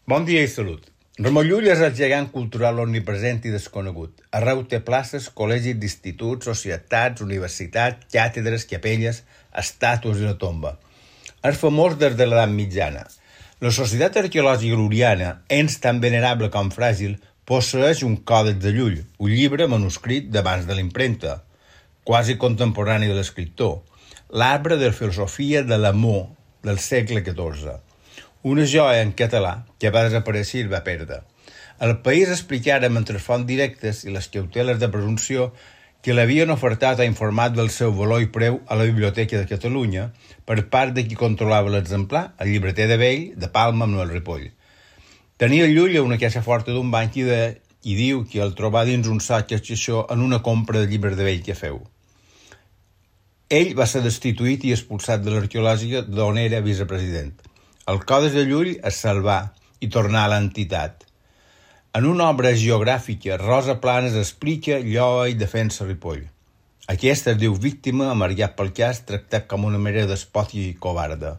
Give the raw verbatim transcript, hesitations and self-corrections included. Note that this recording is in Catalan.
Bon dia i salut. Ramon Llull és el gegant cultural omnipresent i desconegut. Arreu té places, col·legis d'instituts, societats, universitats, càtedres, capelles, estàtues i la tomba. És famós des de l'edat mitjana. La Societat Arqueològica Lul·liana, ens tan venerable com fràgil, posseeix un còdex de Llull, un llibre manuscrit d'abans de l'impremta, quasi contemporani de l'escriptor, l'arbre de filosofia de l'amor del segle catorze. Una joia en català que va desaparèixer i va perdre. El país explicaren entre fonts directes i les cauteles de presumpció que l'havien ofertat a informat del seu valor i preu a la Biblioteca de Catalunya per part de qui controlava l'exemplar, el llibreter de Vell, de Palma, Manuel Ripoll. Tenia Llull una caixa forta d'un banc i, de, i diu que el trobà dins un sac això en una compra de llibres de Vell que feu. Ell va ser destituït i expulsat de l'arqueològica d'on era vicepresident. El Còdex de Llull es salvà i tornà a l'entitat. En una obra geogràfica, Rosa Planes explica, lloa i defensa Ripoll. Aquesta es diu víctima, amargat pel cas, tractat com una mera despòtia i covarda.